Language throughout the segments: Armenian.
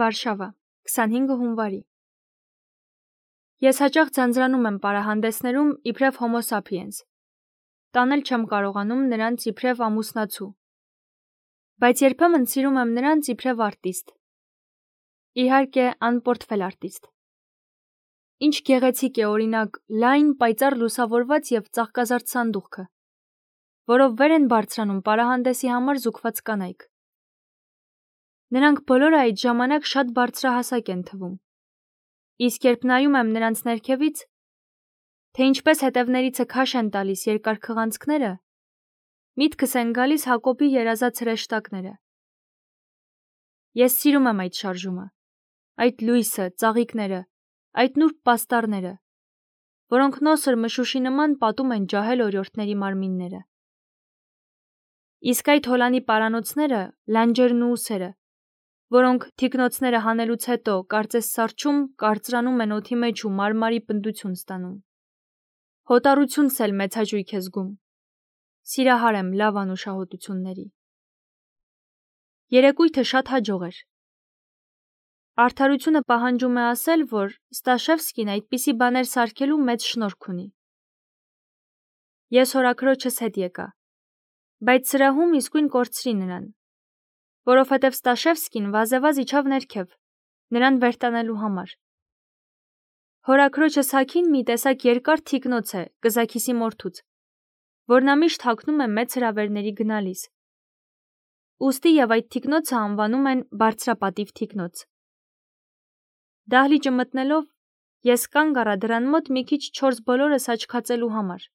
Վարշավա, 25 հունվարի։ Ես հաճախ ձանձրանում եմ պարահանդեսներում իբրև Homo sapiens։ Տանել չեմ կարողանում նրանց իբրև ամուսնացու։ Բայց երբեմն սիրում եմ նրանց իբրև արտիստ։ Իհարկե, անպորտֆել արտիստ։ Ինչ գեղեցիկ է օրինակ լայն, պայծառ լուսավորված և ծաղկազարդ սանդուղքը, որով վեր են բարձրանում պարահանդեսի համար զուգված կանայք։ Նրանք բոլորը այդ ժամանակ շատ բարձրահասակ են թվում։ Իսկ երբ նայում եմ նրանց ներքևից, թե ինչպես հետևներիցը քաշ են տալիս երկար քղանցքները, միտքս են գալիս Հակոբի երազած հրեշտակները։ Ես սիրում եմ այդ շարժումը, այդ լույսը, ծաղիկները, այդ նուրբ պաստառները, որոնք նոսր մշուշի նման պատում են ջահել օրիորդների մարմինները։ Իսկ այդ հոլանի պարանոցները, լանջերն ու ուսերը, որոնք թիկնոցները հանելուց հետո կարծես սառչում, կարծրանում են օդի մեջ ու մարմարի պնդություն ստանում։ Հոտառությունս էլ մեծ հաճույք է զգում։ Սիրահար եմ լավ անուշահոտությունների։ Երեկույթը շատ հաջող էր։ Արդարությունը պահանջում է ասել, որ Ստաշևսկին այդպիսի բաներ սարքելու մեծ շնորհք ունի։ Ես հորաքրոջս հետ եկա, բայց սրահում իսկույն կորցրի նրան, որովհետև Ստաշևսկին վազեվազ իջավ ներքև, նրան վերտանելու համար։ Հորաքրոջս Հաքին մի տեսակ երկար թիկնոց է կզաքիսի մորթուց, որ նա միշտ հագնում է մեծ հրավերների գնալիս։ Ուստի և այդ թիկնոցը անվանում են բարձրապատիվ թիկնոց։ Դահլիճը մտնելով, ես կանգ առա դռան մոտ մի քիչ չորս բոլորս աչքացելու համար։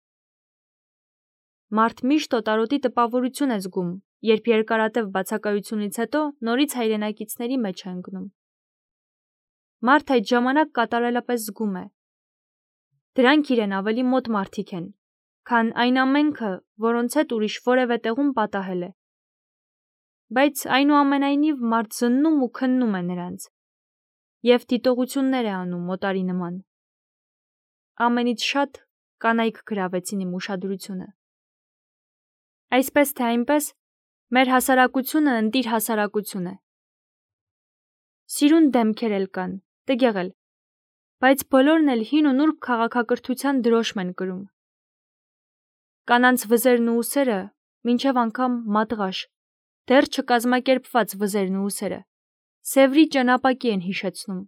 Մարդ միշտ օտարոտի տպավորություն է զգում, երբ երկարատև բացակայությունից հետո նորից հայրենակիցների մեջ է ընկնում։ Մարդ այդ ժամանակ կատարելապես զգում է։ Դրանք իրեն ավելի մոտ մարդիկ են, քան այն ամենքը, որոնց հետ ուրիշ որևէ տեղում պատահել է։ Բայց այնուամենայնիվ մարդ զննում ու քննում է նրանց և դիտողություններ է անում օտարի նման։ Ամենից շատ կանայք գրավեցին իմ ուշադրությունը։ Այսպես թե այնպես, մեր հասարակությունը ընտիր հասարակություն է։ Սիրուն դեմքեր էլ կան, տգեղ էլ, բայց բոլորն էլ հին ու նուրբ քաղաքակրթության դրոշմ են կրում։ Կանանց վզերն ու ուսերը, մինչև անգամ մատղաշ, դեռ չկազմակերպված վզերն ու ուսերը, Սևրի ճենապակի են հիշեցնում։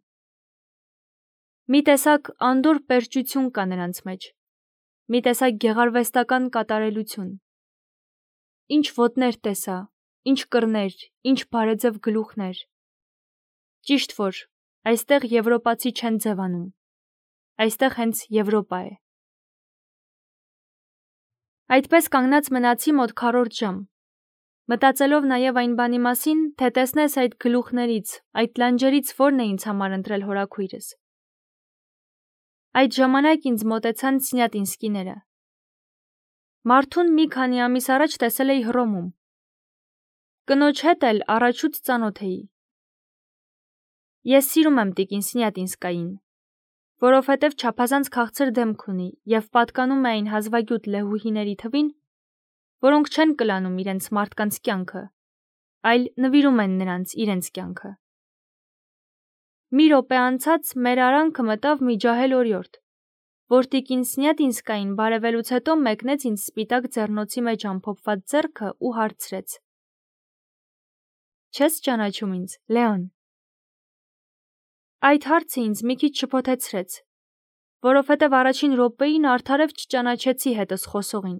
Մի տեսակ անդորր պերճություն կա նրանց մեջ, մի տեսակ գեղարվեստական կատարելություն։ Ինչ ոտներ տեսա, ինչ կռներ, ինչ բարեձև գլուխներ։ Ճիշտ որ, այստեղ եվրոպացի չեն ձևանում, այստեղ հենց Եվրոպա է։ Այդպես կանգնած մնացի մոտ քառորդ ժամ, մտածելով նաև այն բանի մասին, թե տեսնես այդ գլուխներից, այդ լանջերից որն է ինձ համար ընտրել հորաքույրս։ Այդ ժամանակ ինձ մոտեցան Սնյատինսկիները։ Մարդուն մի քանի ամիս առաջ տեսել էի Հռոմում։ Կնոջ հետ էլ առաջուց ծանոթ էի։ Ես սիրում եմ տիկին Սնյատինսկային, որովհետև չափազանց քաղցր դեմք ունի և պատկանում է այն հազվագյուտ լեհուհիների թվին, որոնք չեն կլանում իրենց մարդկանց կյանքը, այլ նվիրում են նրանց իրենց կյանքը։ Մի րոպե անցած մեր արանքը մտավ մի ջահել օրիորդ, որ տիկին Սնյատինսկային բարևելուց հետո մեկնեց ինձ սպիտակ ձեռնոցի մեջ ամփոփված ձեռքը ու հարցրեց. Չես ճանաչում ինձ, Լեոն։ Այդ հարցը ինձ մի քիչ շփոթեցրեց, որովհետև առաջին րոպեին արդարև չճանաչեցի հետս խոսողին,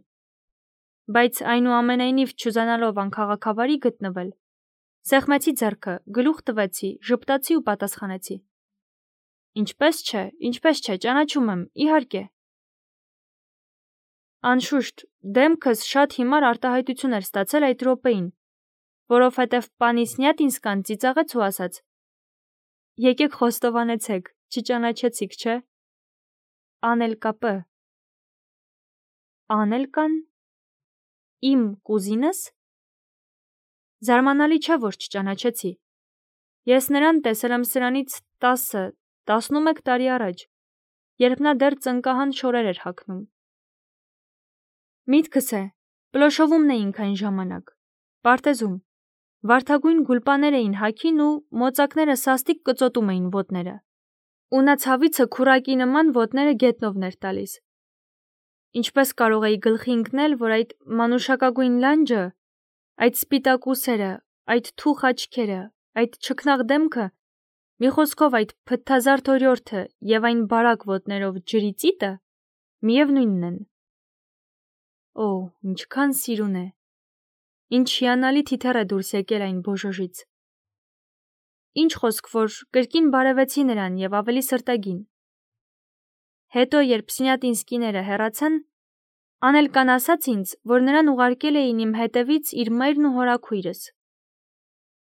բայց այնուամենայնիվ չուզենալով անքաղաքավարի գտնվել, սեղմեցի ձեռքը, գլուխ տվեցի, ժպտացի ու պատասխանեցի. Ինչպես չէ, ճանաչում եմ, իհարկե։ Անշուշտ, դեմքս շատ հիմար արտահայտություն էր ստացել այդ րոպեին, որովհետև պանի Սնյատինսկան ծիծաղեց ու ասաց. Եկեք խոստովանեցեք, չճանաչեցիք, չէ։ Անելկա П. Անելկան։ Իմ կուզինս։ Զարմանալի չէ, որ չճանաչեցի։ Ես նրան տեսել եմ սրանից 10-11 տարի առաջ, երբ նա դեռ ծնկահան շորեր էր հագնում։ Միտքս է, Պլոշովում էինք այն ժամանակ, պարտեզում, Վարդագույն գուլպաներ էին հագին ու մոծակները սաստիկ կծոտում էին ոտները։ Ու նա ցավիցը քուրակի նման ոտները գետնովն էր տալիս։ Ինչպես կարող էի գլխի ընկնել, որ այդ մանուշակագույն լանջը, այդ սպիտակ ուսերը, այդ թուխ աչքերը, այդ չքնաղ դեմքը, մի խոսքով այդ փթթազարդ օրիորդը եւ այն բարակ ոտներով ջրի ծիտը միևնույնն են։ Օ, ինչքան սիրուն է։ Ինչ հիանալի թիթեռ է դուրս եկել այն բոժոժից։ Ինչ խոսք, որ կրկին բարևեցի նրան եւ ավելի սրտագին։ Հետո, երբ Սնյատինսկիները հեռացան, Անելկան ասաց ինձ, որ նրան ուղարկել էին իմ հետևից իր մայրն ու հորաքույրս։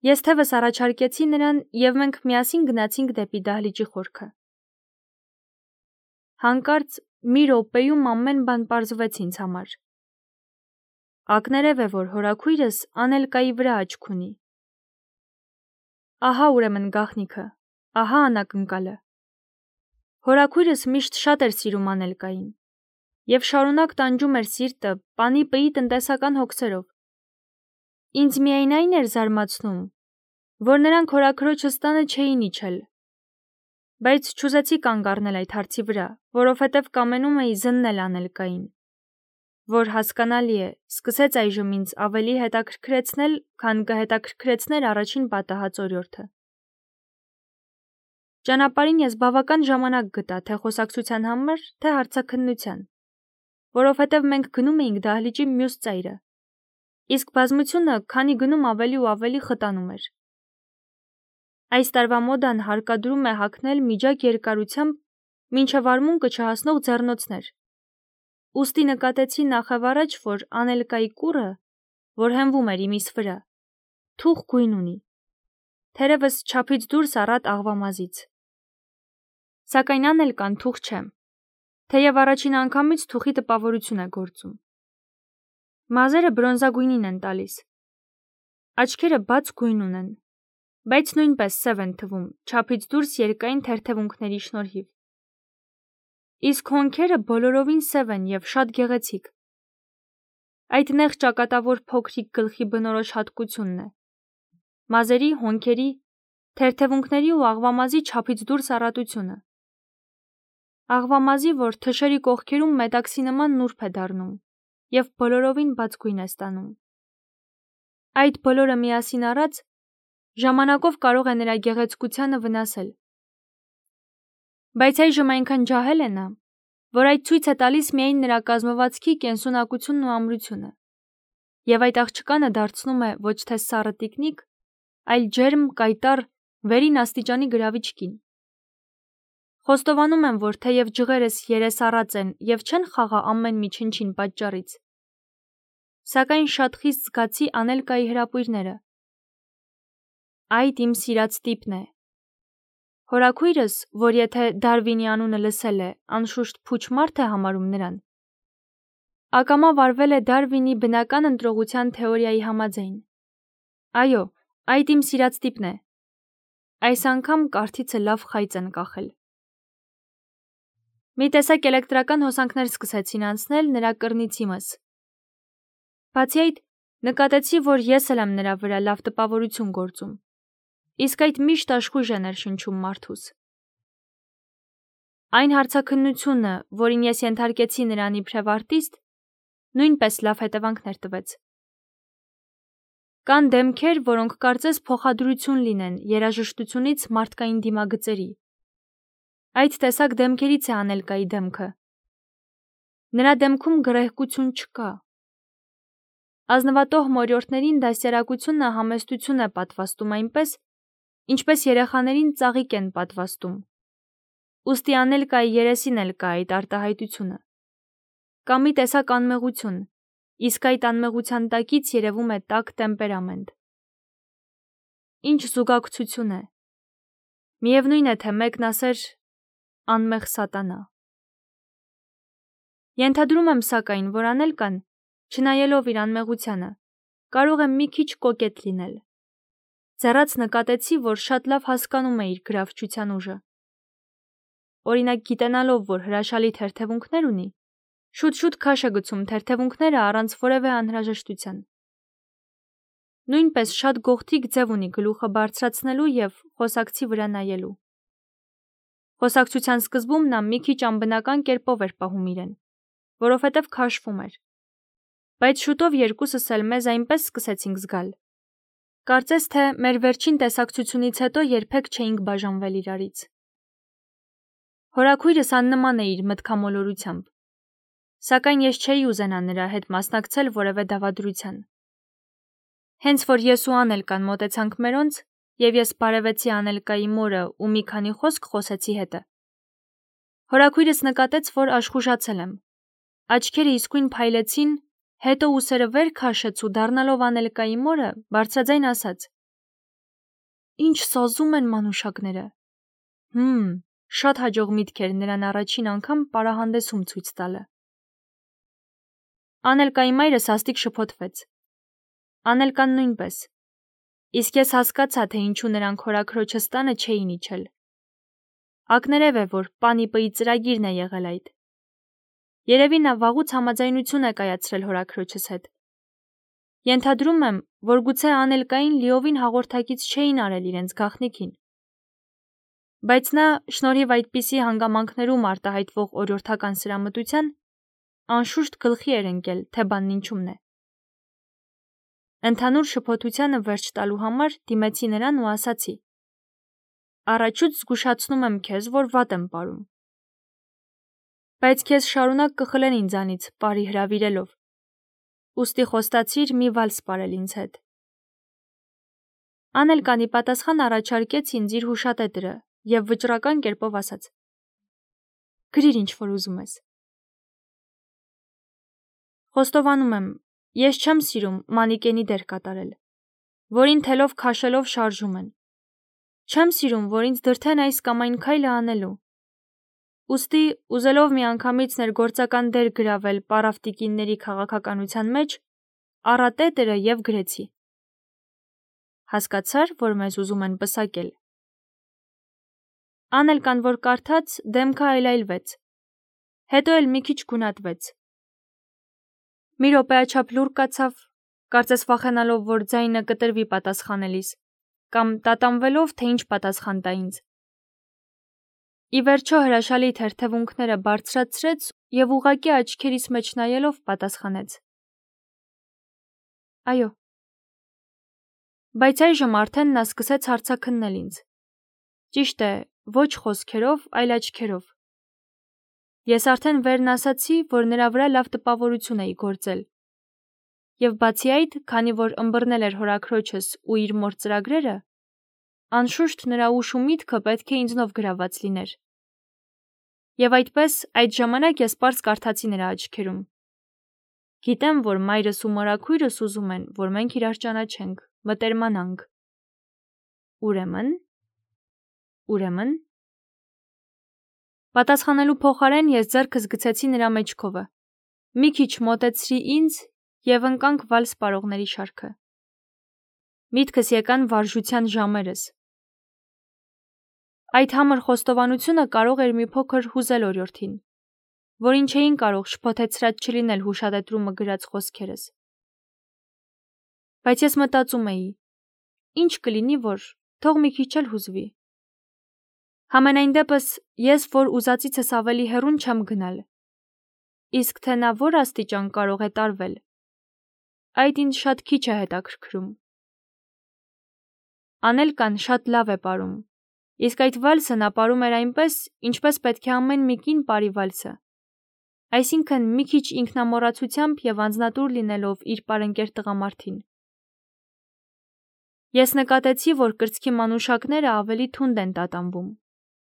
Ես թևս առաջարկեցի նրան եւ մենք միասին գնացինք դեպի դահլիճի խորքը։ Հանկարծ մի րոպեում ամեն բան պարզվեց ինձ համար։ Ակներև է, որ հորաքույրս Անելկայի վրա աչք ունի։ Ահա ուրեմն գաղտնիքը, ահա անակնկալը։ Հորաքույրս միշտ շատ էր սիրում Անելկային եւ շարունակ տանջում էր սիրտը պանի պի տնտեսական հոգսերով։ Ինձ միայն այն էր զարմացնում, որ նրանք հորաքրոջս տանը չէին իջել։ Բայց չուզեցի կանգ առնել այդ հարցի վրա, որովհետև կամենում էի զննել Անելկային, որ հասկանալի է, սկսեց այժմ ինձ ավելի հետաքրքրեցնել, քան կհետաքրքրեցներ առաջին պատահած օրիորդը։ Ճանապարհին ես բավական ժամանակ գտա թե խոսակցության համար, թե հարցաքննության, որովհետև մենք գնում էինք դահլիճի մյուս ծայրը, իսկ բազմությունը քանի գնում ավելի ու ավելի խտանում էր։ Այս տարվա մոդան հարկադրում է հագնել միջակ երկարությամբ մինչև արմունկը չհասնող ձեռնոցներ։ Ուստի նկատեցի նախավառաջ, որ Անելկայի կուռը, որ հենվում էր իմիս վրա, թուխ գույն ունի, թերևս չափից դուրս առատ աղվամազից։ Սակայն Անելկան թուխ չէ, թեև առաջին անգամից թուխի տպավորություն է գործում։ Մազերը բրոնզագույնին են տալիս։ Աչքերը բաց գույն ունեն, բայց նույնպես սև են թվում, չափից դուրս երկայն թերթևունքների շնորհիվ։ Իսկ հոնքերը բոլորովին սև են եւ շատ գեղեցիկ։ Այդ նեղ ճակատավոր փոքրիկ գլխի բնորոշ հատկությունն է։ Մազերի, հոնքերի, թերթևունքների ու աղվամազի չափից դուրս առատությունը։ Աղվամազի, որ թշերի կողքերում մետաքսի նման նուրբ է դառնում եւ բոլորովին բաց գույն է ստանում։ Այդ բոլորը միասին առած ժամանակով կարող է նրա գեղեցկությանը վնասել։ Բայց այժմ այնքան ջահել է նա, որ այդ ցույց է տալիս միայն նրա կազմվածքի կենսունակությունն ու ամրությունը, եւ այդ աղջկանը դարձնում է ոչ թե սառը տիկնիկ, այլ ջերմ, կայտառ, վերին աստիճանի գրավիչ կին։ Խոստովանում եմ, որ թեև ջղերս երեսառած են եւ չեն խաղա ամեն մի չնչին պատճառից, սակայն շատ խիստ զգացի Անելկայի հրապույրները։ Այդ իմ սիրած տիպն է։ Հորաքույրս, որ եթե Դարվինի անունը լսել է, անշուշտ փուչ մարդ է համարում նրան, ակամա վարվել է Դարվինի բնական ընտրողության թեորիայի համաձայն։ Այո, այդ իմ սիրած տիպն է։ Այս անգամ կարթիցը լավ խայծ են կախել։ Մի տեսակ էլեկտրական հոսանքներ սկսեցին անցնել նրա կռնից իմս։ Բացի այդ, նկատեցի, որ ես էլ եմ նրա վրա լավ տպավորություն գործում, իսկ այդ միշտ աշխույժ է ներշնչում մարդուս։ Այն հարցաքննությունը, որին ես ենթարկեցի նրան իբրև արտիստ, նույնպես լավ հետևանքներ տվեց։ Կան դեմքեր, որոնք կարծես փոխադրություն լինեն երաժշտությունից մարդկային դիմագծերի։ Այդ տեսակ դեմքերից է Անելկայի դեմքը։ Նրա դեմքում գրեհկություն չկա։ Ազնվատոհ մորյորդներին դաստիարակությունը համեստություն է պատվաստում այնպես, ինչպես երեխաներին ծաղիկ են պատվաստում։ Ուստի Անելկայի երեսին էլ կա այդ արտահայտությունը։ Կա մի տեսակ անմեղություն, իսկ այդ անմեղության տակից երևում է տաք տեմպերամենտ։ Ինչ զուգակցություն է։ Միևնույն է, թե մեկն ասեր անմեղ սատանա։ Ենթադրում եմ սակայն, որ Անելկան, չնայելով իր անմեղությանը, կարող է մի քիչ կոկետ լինել։ Ձեռաց նկատեցի, որ շատ լավ հասկանում է իր գրավչության ուժը։ Օրինակ, գիտենալով, որ հրաշալի թերթևունքներ ունի, շուտ-շուտ քաշ է գցում թերթևունքները առանց որևէ անհրաժեշտության։ Նույնպես շատ գողթիկ ձև ունի գլուխը բարձրացնելու և խոսակցի վրա նայելու։ Խոսակցության սկզբում նա մի քիչ անբնական կերպով էր պահում իրեն, որովհետև քաշվում էր։ Բայց շուտով երկուսս էլ մեզ այնպես սկսեցինք զգալ։ Կարծես թե մեր վերջին տեսակցությունից հետո երբեք չէինք բաժանվել իրարից։ Հորաքույրս աննման է իր մտքամոլորությամբ, սակայն ես չէի ուզենա նրա հետ մասնակցել որևէ դավադրության։ Հենց որ ես ու Անելկան մոտեցանք մերոնց, և ես բարևեցի Անելկայի մորը ու մի քանի խոսք խոսեցի հետը, հորաքույրս նկատեց, որ աշխուժացել եմ։ Աչքերը իսկույն փայլեցին, հետո ուսերը վեր քաշեց ու դառնալով Անելկայի մորը, բարձրաձայն ասաց. «Ինչ սազում են մանուշակները»։ Շատ հաջող միտք էր նրան առաջին անգամ պարահանդեսում ցույց տալը։ Անելկայի մայրը սաստիկ շփոթվեց։ Անելկան նույնպես։ Իսկ ես հասկացա, թե ինչու նրանք հորաքրոջս տանը չէին իջել։ Ակներև է, որ Պանիպըի ծրագիրն է եղել այդ։ Երևի նա վաղուց համաձայնություն է կայացրել հորաքրոջս հետ։ Ենթադրում եմ, որ գուցե Անելկային լիովին հաղորդակից չէին արել իրենց գաղտնիքին։ Բայց նա, շնորհիվ այդպիսի հանգամանքներում արտահայտվող օրիորդական սրամտության, անշուշտ գլխի էր ընկել, թե բանն ինչումն է։ Ընդհանուր շփոթությանը վերջ տալու համար դիմեցի նրան ու ասացի. «Առաջուց զգուշացնում եմ քեզ, որ վատ եմ պարում։ Բայց քեզ շարունակ կխլեն ինձանից, պարի հրավիրելով։ Ուստի խոստացիր մի վալս պարել ինձ հետ»։ Անելկանի պատասխան առաջարկեց ինձ իր հուշատետրը և վճռական կերպով ասաց. «Գրիր ինչ որ ուզում ես»։ Խոստովանում եմ, ես չեմ սիրում մանիկենի դեր կատարել, որին թելով քաշելով շարժում են։ Չեմ սիրում, որ ինձ դրդեն այս կամ այն քայլը անելու։ Ուստի, ուզելով միանգամից ներգործական դեր գրավել պարավտիկինների քաղաքականության մեջ, առա տետրը և գրեցի. «Հասկացար, որ մեզ ուզում են պսակել»։ Անելկան, որ կարդաց, դեմքը այլայլվեց, հետո էլ մի քիչ գունատվեց։ Մի րոպեաչափ լուռ կացավ, կարծես վախենալով, որ ձայնը կտրվի պատասխանելիս, կամ տատանվելով, թե ինչ պատասխան տա ինձ։ Ի վերջո հրաշալի թերթևունքները բարձրացրեց և ուղղակի աչքերիս մեջ նայելով պատասխանեց. «Այո»։ Բայց այժմ արդեն նա սկսեց հարցաքննել ինձ։ Ճիշտ է, ոչ խոսքերով, այլ աչքերով։ Ես արդեն վերն ասացի, որ նրա վրա լավ տպավորություն էի գործել։ Եվ բացի այդ, քանի որ ըմբռնել էր հորաքրոջս ու իր մոր ծրագրերը, անշուշտ նրա ուշ ու միտքը պետք է ինձնով գրաված լիներ։ Եվ այդպես, այդ ժամանակ ես պարզ կարդացի նրա աչքերում. «Գիտեմ, որ մայրս ու մորաքույրս ուզում են, որ մենք իրար ճանաչենք, մտերմանանք։ Ուրեմն»։ Պատասխանելու փոխարեն ես ձեռքս գցեցի նրա մեջքովը, մի քիչ մոտեցրի ինձ և ընկանք վալս պարողների շարքը։ Միտքս եկան վարժության ժամերս։ Այդ համր խոստովանությունը կարող էր մի փոքր հուզել օրիորդին, որին չէին կարող շփոթեցրած չլինել հուշատետրումը գրած խոսքերս։ Բայց ես մտածում էի. ինչ կլինի, որ թող մի քիչ էլ հուզվի։ Համենայն դեպս, ես, որ ուզածիցս ավելի հեռուն չեմ գնալ։ Իսկ թե նա որ աստիճան կարող է տարվել, այդ ինձ շատ քիչ է հետաքրքրում։ Անելկան շատ լավ է պարում, իսկ այդ վալսը նա պարում էր այնպես, ինչպես պետք է ամեն մի կին պարի վալսը, այսինքն մի քիչ ինքնամոռացությամբ և անձնատուր լինելով իր պարընկեր տղամարդին։ Ես նկատեցի, որ կրծքի մանուշակները ավելի թունդ են տատանվում,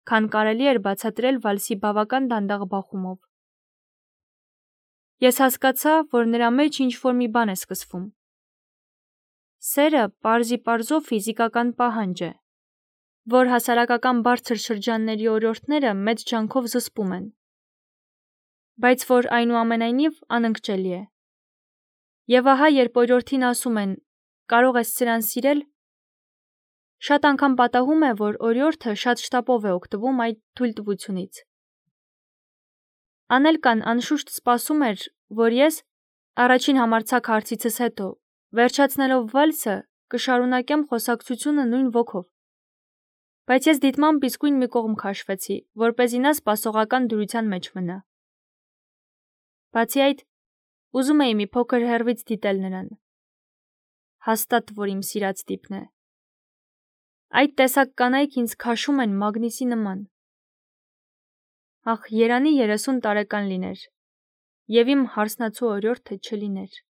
քան կարելի էր բացատրել վալսի բավական դանդաղ բախումով։ Ես հասկացա, որ նրա մեջ ինչ-որ մի բան է սկսվում։ Սերը պարզիպարզով ֆիզիկական պահանջ է, որ հասարակական բարձր շրջանների օրիորդները մեծ ջանքով զսպում են, բայց որ այնուամենայնիվ անընկճելի է։ Եվ ահա, երբ օրիորդին ասում են. «Կարող ես սրան սիրել», շատ անգամ պատահում է, որ օրիորդը շատ շտապով է օգտվում այդ թույլտվությունից։ Անելկան անշուշտ սպասում էր, որ ես, առաջին համարձակ հարցիցս հետո, Վերջացնելով վալսը, կշարունակեմ խոսակցությունը նույն ոգով։ Բայց ես դիտմամբ իսկույն մի կողմ քաշվեցի, որպեսզի նա սպասողական դրության մեջ մնա։ Բացի այդ, ուզում էի մի փոքր հեռվից դիտել նրան։ Հաստատ, որ իմ սիրած տիպն է։ Այդ տեսակ կանայք ինձ քաշում են մագնիսի նման։ Ախ, երանի 30 տարեկան լիներ, և իմ հարսնացու օրիորդը չլիներ։